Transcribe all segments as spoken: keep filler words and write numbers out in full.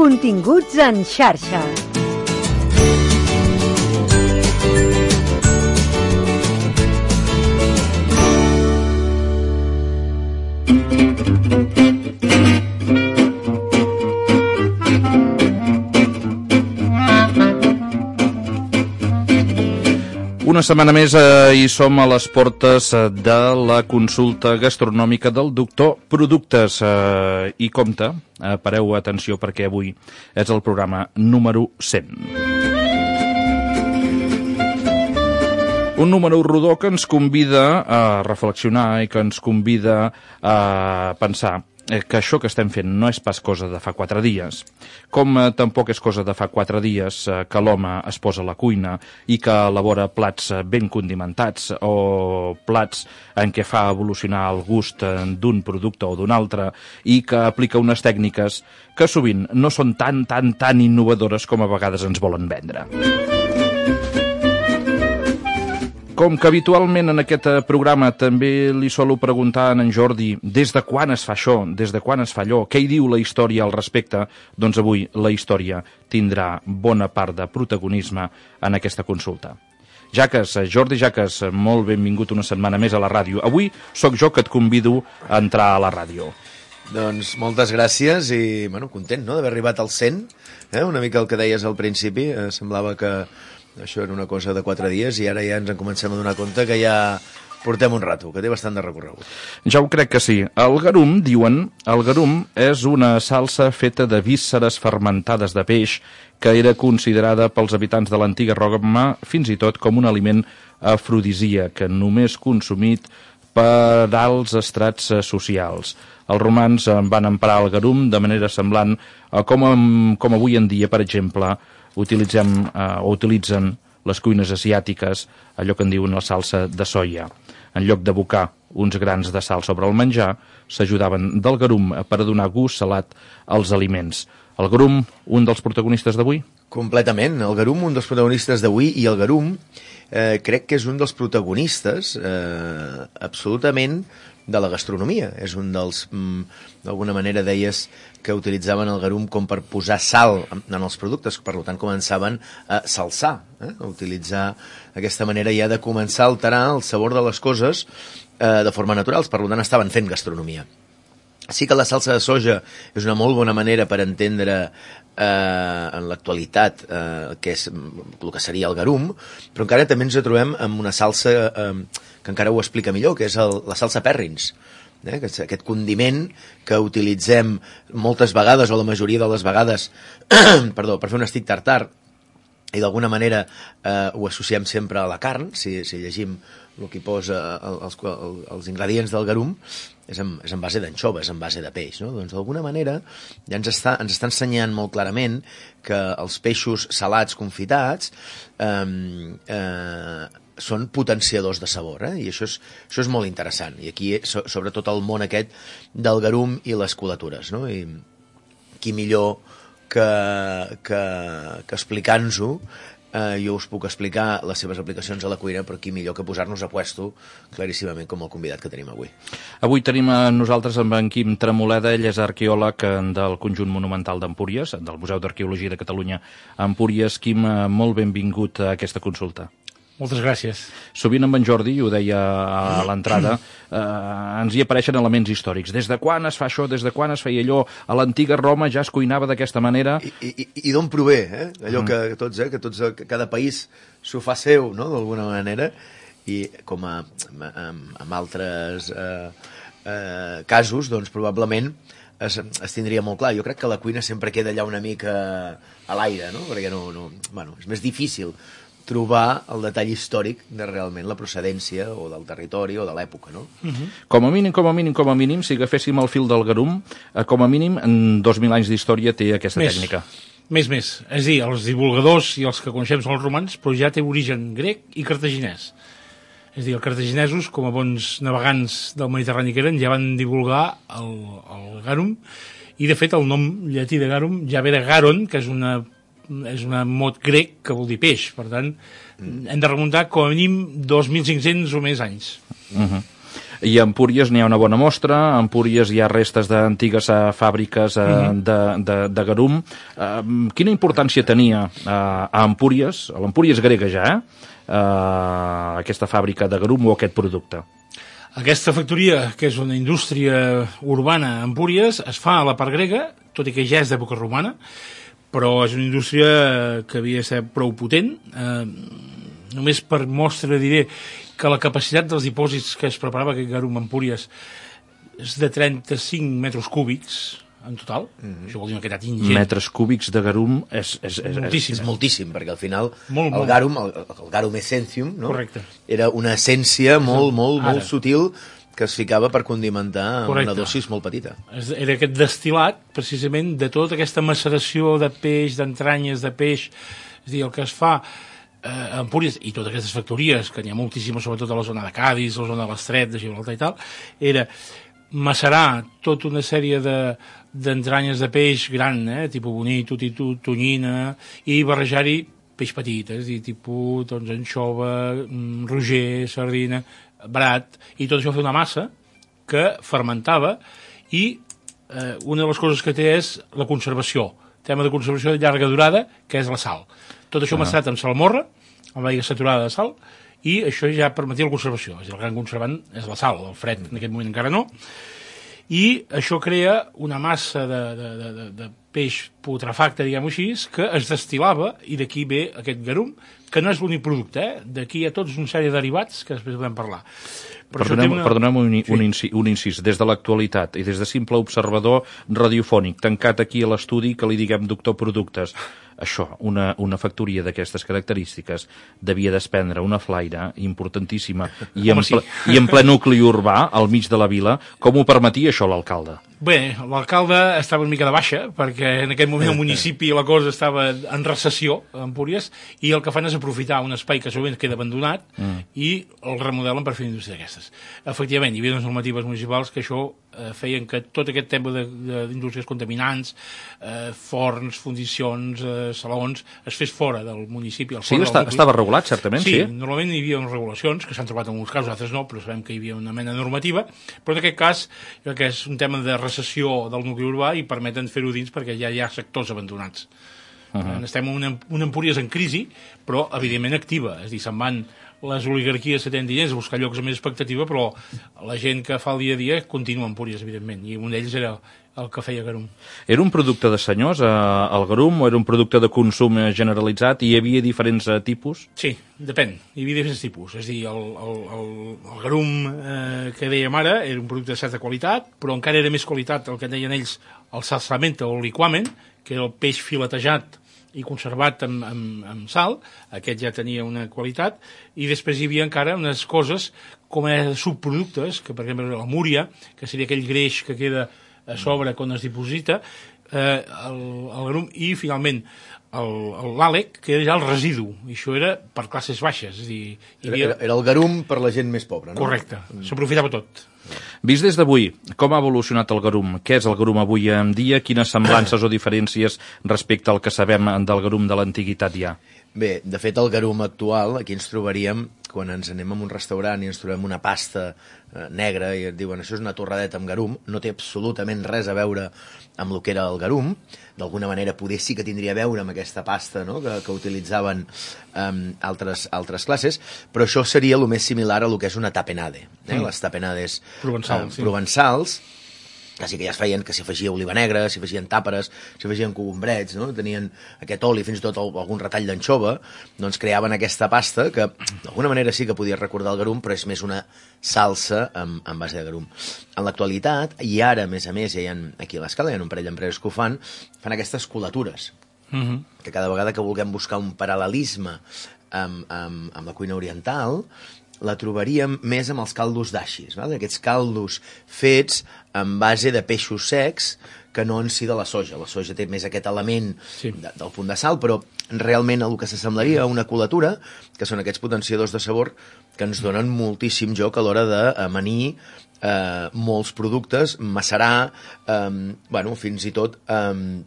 Continguts en xarxa. Una setmana més eh, i som a les portes eh, de la consulta gastronòmica del doctor Productes. Eh, I compte, eh, pareu atenció perquè avui és el programa número cent. Un número rodó que ens convida a reflexionar i que ens convida a pensar que això que estem fent no és pas cosa de fa quatre dies, com eh, tampoc és cosa de fa quatre dies eh, que l'home es posa a la cuina i que elabora plats eh, ben condimentats o plats en què fa evolucionar el gust eh, d'un producte o d'un altre i que aplica unes tècniques que sovint no són tan, tan, tan innovadores com a vegades ens volen vendre. Com que habitualment en aquest programa també li solo preguntar a en Jordi des de quan es fa això, des de quan es fa allò, què hi diu la història al respecte, doncs avui la història tindrà bona part de protagonisme en aquesta consulta. Jaques, Jordi Jaques, molt benvingut una setmana més a la ràdio. Avui sóc jo que et convido a entrar a la ràdio. Doncs moltes gràcies i bueno, content no, d'haver arribat al cent, eh? Una mica el que deies al principi, eh, semblava que això era una cosa de quatre dies i ara ja ens en comencem a donar compte que ja portem un rato, que té bastant de recorregut. Ja ho crec que sí. El garum, diuen, el garum és una salsa feta de vísceres fermentades de peix que era considerada pels habitants de l'antiga Roma fins i tot com un aliment afrodisíac, només consumit per alts estrats socials. Els romans van emprar el garum de manera semblant a com, com avui en dia, per exemple, utilitzem eh, o utilitzen les cuines asiàtiques, allò que en diuen la salsa de soia. En lloc d'abocar uns grans de sal sobre el menjar, s'ajudaven del garum per a donar gust salat als aliments. El garum, un dels protagonistes d'avui? Completament. El garum, un dels protagonistes d'avui, i el garum eh, crec que és un dels protagonistes eh, absolutament de la gastronomia. És un dels, mm, d'alguna manera deies que utilitzaven el garum com per posar sal en els productes, per tant començaven a salsar, eh? a utilitzar aquesta manera ja de començar a alterar el sabor de les coses eh, de forma natural, per tant estaven fent gastronomia. Sí que la salsa de soja és una molt bona manera per entendre eh, en l'actualitat eh, què és el que seria el garum, però encara també ens trobem amb una salsa eh, que encara ho explica millor, que és el, la salsa Perrins, eh, que és aquest condiment que utilitzem moltes vegades, o la majoria de les vegades, perdó, per fer un estic tartar, i d'alguna manera eh, ho associem sempre a la carn. Si, si llegim el que posa els, els ingredients del garum, és en, és en base d'anxova, és en base de peix, no? Doncs d'alguna manera ja ens està, ens està ensenyant molt clarament que els peixos salats confitats eh, eh, són potenciadors de sabor, eh? I això és, això és molt interessant. I aquí, so, sobretot el món aquest del garum i les colatures, no? I qui millor que, que, que explicant-nos-ho, eh, jo us puc explicar les seves aplicacions a la cuina, però qui millor que posar-nos a puesto claríssimament com el convidat que tenim avui. Avui tenim a nosaltres amb en Quim Tremoleda, ell és arqueòleg del Conjunt Monumental d'Empúries, del Museu d'Arqueologia de Catalunya a Empúries. Quim, molt benvingut a aquesta consulta. Moltes gràcies. Sovint amb en Jordi, ho deia a l'entrada, eh, ens hi apareixen elements històrics. Des de quan es fa això? Des de quan es feia allò? A l'antiga Roma ja es cuinava d'aquesta manera. I, i, i d'on prové, eh? Allò mm. que tots, eh? Que tots, que cada país s'ho fa seu, no?, d'alguna manera. I com a, amb, amb altres eh, eh, casos, doncs probablement es, es tindria molt clar. Jo crec que la cuina sempre queda allà una mica a l'aire, no? Perquè no, no, bueno, és més difícil trobar el detall històric de realment la procedència o del territori o de l'època, no? Uh-huh. Com a mínim, com a mínim, com a mínim, si agaféssim el fil del garum, eh, com a mínim, en dos mil anys d'història té aquesta més, tècnica. Més, més. És a dir, els divulgadors i els que coneixem són els romans, però ja té origen grec i cartaginès. És a dir, els cartaginesos, com a bons navegants del Mediterrani que eren, ja van divulgar el, el garum, i de fet el nom llatí de garum ja ve de garon, que és una és un mot grec que vol dir peix, per tant mm. hem de remuntar com a mínim dos mil cinc-cents o més anys. Uh-huh. I a Empúries n'hi ha una bona mostra, a Empúries hi ha restes d'antigues uh, fàbriques uh, mm-hmm. de, de, de garum. Uh, quina importància tenia uh, a Empúries, a l'Empúries grega ja, eh? uh, aquesta fàbrica de garum o aquest producte? Aquesta factoria, que és una indústria urbana a Empúries, es fa a la part grega, tot i que ja és d'època romana, però és una indústria que havia de ser prou potent. Eh, només per mostra diré que la capacitat dels dipòsits que es preparava aquest garum a Empúries és de trenta-cinc metres cúbics en total. Mm-hmm. Això vol dir una quantitat ingent. Metres cúbics de garum és, és, és, moltíssim, és moltíssim, perquè al final molt, el molt. garum, el, el garum essentium, no? Correcte. Era una essència molt, molt, Ara. molt sutil que es ficava per condimentar amb Correcte. una dosis molt petita. Era aquest destil·lat, precisament, de tota aquesta maceració de peix, d'entranyes de peix, és a dir, el que es fa eh, a Empúries, i totes aquestes factories, que n'hi ha moltíssimes, sobretot a la zona de Cadis, a la zona de l'Estret, de Gibraltar i tal, era macerar tota una sèrie de d'entranyes de peix gran, eh, tipus bonito, títol, tonyina, i barrejar-hi peix petit, eh, és a dir, tipus doncs, anxova, roger, sardina, brat, i tot això fer una massa que fermentava, i eh, una de les coses que té és la conservació, tema de conservació de llarga durada, que és la sal. Tot això ah. macerat amb salmorra, amb l'aigua saturada de sal, i això ja permetia la conservació. És a dir, el gran conservant és la sal, el fred en aquest moment encara no, i això crea una massa de, de, de, de peix putrefacte, diguem-ho així, que es destil·lava, i d'aquí ve aquest garum, que no és l'únic producte, eh? D'aquí hi ha tots una sèrie de derivats que després podem parlar. Però Perdoneu, una... perdoneu un, sí. un, inci, un incís, des de l'actualitat i des de simple observador radiofònic, tancat aquí a l'estudi, que li diguem doctor productes, això, una, una factoria d'aquestes característiques devia desprendre una flaire importantíssima i en, sí. ple, i en ple nucli urbà, al mig de la vila. Com ho permetia això l'alcalde? Bé, l'alcalde estava una mica de baixa, perquè en aquest moment el municipi la cosa estava en recessió, a Empúries, i el que fan és aprofitar un espai que sovint queda abandonat mm. i el remodelen per fer una indústria d'aquestes. Efectivament, hi havia unes normatives municipals que això eh, feien que tot aquest tema d'indústries contaminants, eh, forns, fundicions, eh, salons, es fes fora del municipi. Sí, està, estava regulat, certament, sí. Sí, normalment hi havia unes regulacions, que s'han trobat en alguns casos, altres no, però sabem que hi havia una mena de normativa, però en aquest cas, que és un tema de recessió del nucli urbà i permeten fer-ho dins perquè ja hi ha sectors abandonats. Uh-huh. Estem en una, una Empúries en crisi, però evidentment activa, és a dir, se'n van les oligarquies que tenen diners a buscar llocs amb més expectativa, però la gent que fa el dia a dia continua a Empúries, evidentment, i un d'ells era el que feia garum. Era un producte de senyors, eh, el garum, o era un producte de consum generalitzat i hi havia diferents eh, tipus? Sí, depèn, hi havia diferents tipus, és a dir, el, el, el, el garum eh, que dèiem ara era un producte de certa qualitat, però encara era més qualitat el que deien ells el salsamento o el liquamen, que era el peix filetejat i conservat amb, amb, amb sal, aquest ja tenia una qualitat, i després hi havia encara unes coses com a subproductes, que per exemple la múria, que seria aquell greix que queda a sobre quan es diposita, eh, el, el garum, i finalment l'àlec, que era ja el residu, i això era per classes baixes. És a dir, hi havia... era, era el garum per la gent més pobra, no? Correcte, s'aprofitava tot. Vist des d'avui, com ha evolucionat el garum? Què és el garum avui en dia? Quines semblances o diferències respecte al que sabem del garum de l'antiguitat hi ha? Bé, de fet, el garum actual, aquí ens trobaríem, quan ens anem a un restaurant i ens trobem una pasta eh, negra i et diuen això és una torradeta amb garum, no té absolutament res a veure amb el que era el garum. D'alguna manera poder sí que tindria a veure amb aquesta pasta, no?, que, que utilitzaven um, altres, altres classes, però això seria el més similar a el que és una tapenade, eh? Mm. Les tapenades Provençal, eh, sí. provençals, que sí que ja es feien, que s'hi afegia oliva negra, s'hi afegien tàperes, s'hi afegien cogombrets, no? Tenien aquest oli, fins i tot algun retall d'anxova, doncs creaven aquesta pasta que d'alguna manera sí que podia recordar el garum, però és més una salsa amb, amb base de garum. En l'actualitat, i ara, a més a més, ja hi ha, aquí a l'escala, hi ha un parell d'empreses que ho fan, fan aquestes colatures, mm-hmm. que cada vegada que vulguem buscar un paral·lelisme amb, amb, amb la cuina oriental, la trobaríem més amb els caldos d'aixis, val? Aquests caldos fets en base de peixos secs que no en si de la soja. La soja té més aquest element sí. de, del punt de sal, però realment el que s'assemblaria a una colatura, que són aquests potenciadors de sabor que ens donen moltíssim joc a l'hora d'amanir eh, molts productes, macerar, eh, bueno, fins i tot... Eh,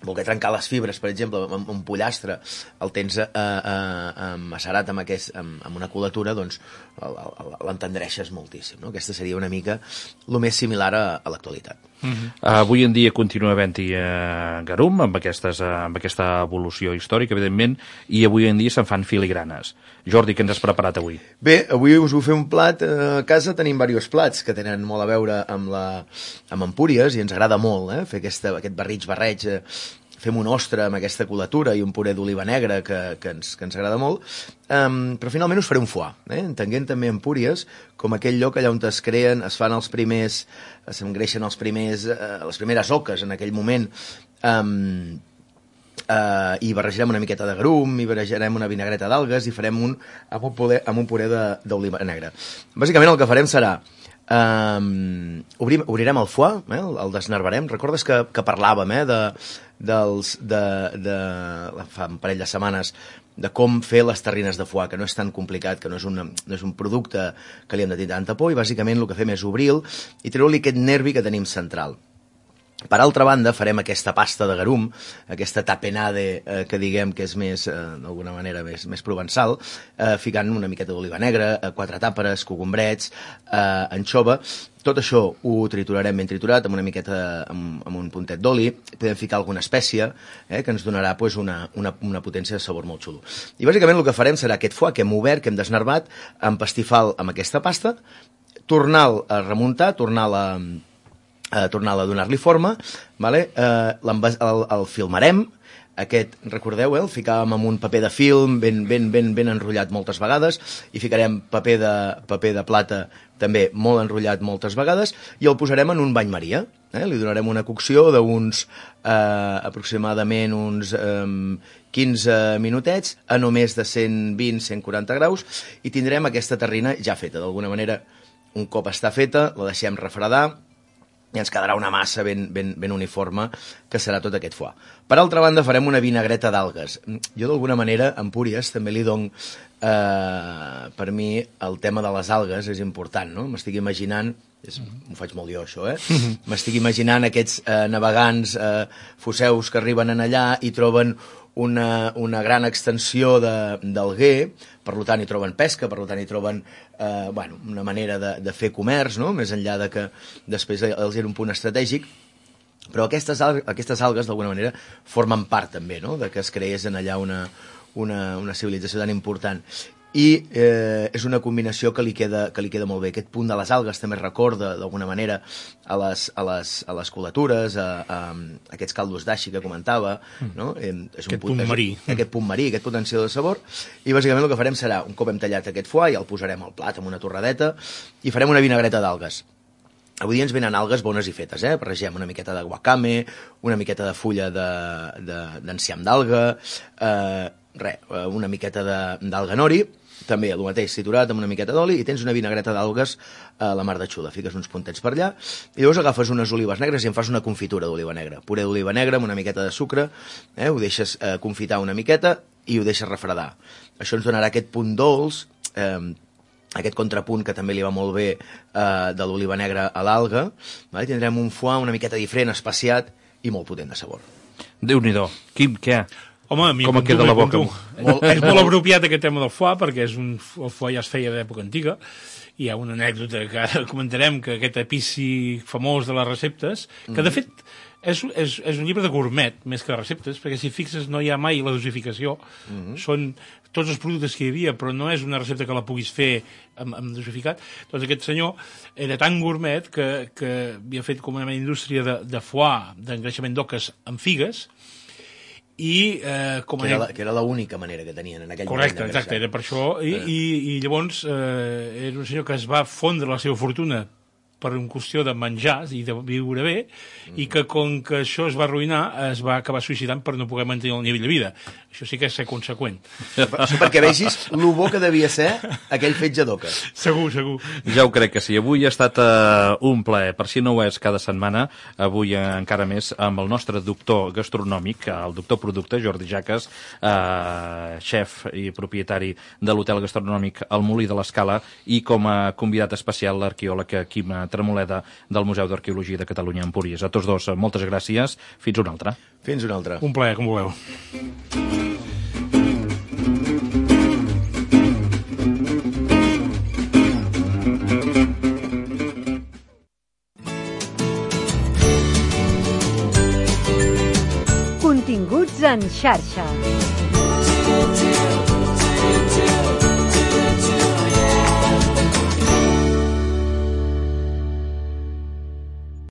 voler trencar les fibres, per exemple, amb un pollastre, el tens eh, eh, macerat amb, aquest, amb, amb una colatura, doncs l'entendreixes moltíssim. No? Aquesta seria una mica el més similar a, a l'actualitat. Uh-huh. Avui en dia continua havent-hi eh, garum, amb, aquestes, eh, amb aquesta evolució històrica, evidentment, i avui en dia se'n fan filigranes. Jordi, què ens has preparat avui? Bé, avui us vull fer un plat. A casa tenim diversos plats que tenen molt a veure amb, la, amb Empúries, i ens agrada molt eh, fer aquesta, aquest barrig-barreig. Eh, fem un ostre amb aquesta colatura i un puré d'oliva negra que, que, ens, que ens agrada molt, um, però finalment us faré un foie, eh? entenguent també Empúries com aquell lloc allà on es creen, es fan els primers, s'engreixen els primers, eh, les primeres oques en aquell moment, um, Uh, i barrejarem una miqueta de garum, i barrejarem una vinagreta d'algues, i farem un, amb un puré, amb un puré d'oliva negra. Bàsicament el que farem serà um, obrim, obrirem el foie, eh, el, el desnervarem. Recordes que, que parlàvem eh, de, dels, de, de, fa un parell de setmanes de com fer les terrines de foie, que no és tan complicat, que no és, una, no és un producte que li hem de tenir tanta por, i bàsicament el que fem és obrir-lo i treure-li aquest nervi que tenim central. Per altra banda, farem aquesta pasta de garum, aquesta tapenade, eh, que diguem que és més, eh, d'alguna manera, més, més provençal, eh, ficant una miqueta d'oliva negra, eh, quatre tàperes, cogombrets, eh, anxova. Tot això ho triturarem ben triturat, amb una miqueta, amb, amb un puntet d'oli. Podem ficar alguna espècie, eh, que ens donarà pues, una, una, una potència de sabor molt xulo. I bàsicament el que farem serà aquest foie que hem obert, que hem desnervat, empastifar amb aquesta pasta, tornar-lo a remuntar, tornar-la a tornar a donar-li forma, vale? eh, el, el filmarem, aquest, recordeu, eh? el ficàvem amb un paper de film ben, ben, ben, ben enrotllat moltes vegades, i ficarem paper de, paper de plata també molt enrotllat moltes vegades, i el posarem en un bany maria. Eh? Li donarem una cocció d'uns eh, aproximadament uns eh, quinze minutets a no més de cent vint a cent quaranta graus, i tindrem aquesta terrina ja feta. D'alguna manera, un cop està feta, la deixem refredar, i ens quedarà una massa ben, ben, ben uniforme, que serà tot aquest foie. Per altra banda, farem una vinagreta d'algues. Jo, d'alguna manera, a Empúries també li dono, eh, per mi, el tema de les algues és important, no? M'estic imaginant, és, m'ho faig molt jo, això, eh? M'estic imaginant aquests eh, navegants, eh, foseus que arriben en allà i troben una, una gran extensió d'alguer, per tant hi troben pesca, per tant hi troben eh, bueno, una manera de, de fer comerç, no? Més enllà de que després els era un punt estratègic, però aquestes, al aquestes algues d'alguna manera formen part també, no? De que es creés en allà una, una, una civilització tan important. I eh, és una combinació que li, queda, que li queda molt bé. Aquest punt de les algues també recorda d'alguna manera a les, a les, a les colatures, a, a, a aquests caldos d'aixi que comentava, no? Eh, és un aquest punt, punt marí. És, aquest punt marí, aquest potencial de sabor, i bàsicament el que farem serà, un cop hem tallat aquest foie, ja el posarem al plat amb una torradeta, i farem una vinagreta d'algues. Avui dia ens venen algues bones i fetes, eh? Barregem una miqueta de guacame, una miqueta de fulla d'enciam d'alga, eh, res, una miqueta d'alga nori, també el mateix, triturat amb una miqueta d'oli, i tens una vinagreta d'algues a la mar de xuda. Fiques uns puntets per allà, i llavors agafes unes olives negres i en fas una confitura d'oliva negra. Puré d'oliva negra amb una miqueta de sucre, eh? Ho deixes eh, confitar una miqueta i ho deixes refredar. Això ens donarà aquest punt dolç, eh, aquest contrapunt que també li va molt bé eh, de l'oliva negra a l'alga, vale? Tindrem un foie una miqueta diferent, espaciat i molt potent de sabor. Déu-n'hi-do. Quim, què? Home, a mi com queda la boca? Molt, és molt apropiat aquest tema del foie, perquè és un, el foie ja es feia d'època antiga. Hi ha una anècdota que ara comentarem, que aquest epici famós de les receptes, que de fet és, és, és un llibre de gourmet, més que de receptes, perquè si fixes no hi ha mai la dosificació. Mm-hmm. Són tots els productes que hi havia, però no és una recepta que la puguis fer amb, amb dosificat. Doncs aquest senyor era tan gourmet que, que havia fet com una indústria de, de foie, d'engreixament d'oques amb figues, i eh, com que era, la, que era l'única manera que tenien en aquell correcte, moment. Correcte, exacte, era per això. I, eh. i, i llavors eh, era un senyor que es va fondre la seva fortuna per una qüestió de menjar i de viure bé, mm. i que com que això es va arruïnar, es va acabar suïcidant per no poder mantenir el nivell de vida. Això sí que és ser conseqüent. Això perquè vegis lo bo que devia ser aquell fetge d'oca. Segur, segur. Ja ho crec que sí. Avui ha estat uh, un plaer. Per si no ho és cada setmana, avui uh, encara més amb el nostre doctor gastronòmic, el doctor producte, Jordi Jaques, uh, xef i propietari de l'hotel gastronòmic El Molí de l'Escala, i com a convidat especial l'arqueòleg Quim Tremoleda del Museu d'Arqueologia de Catalunya a Empúries. A tots dos, moltes gràcies. Fins una altra. Fins una altra. Un plaer, com voleu. Continguts en xarxa.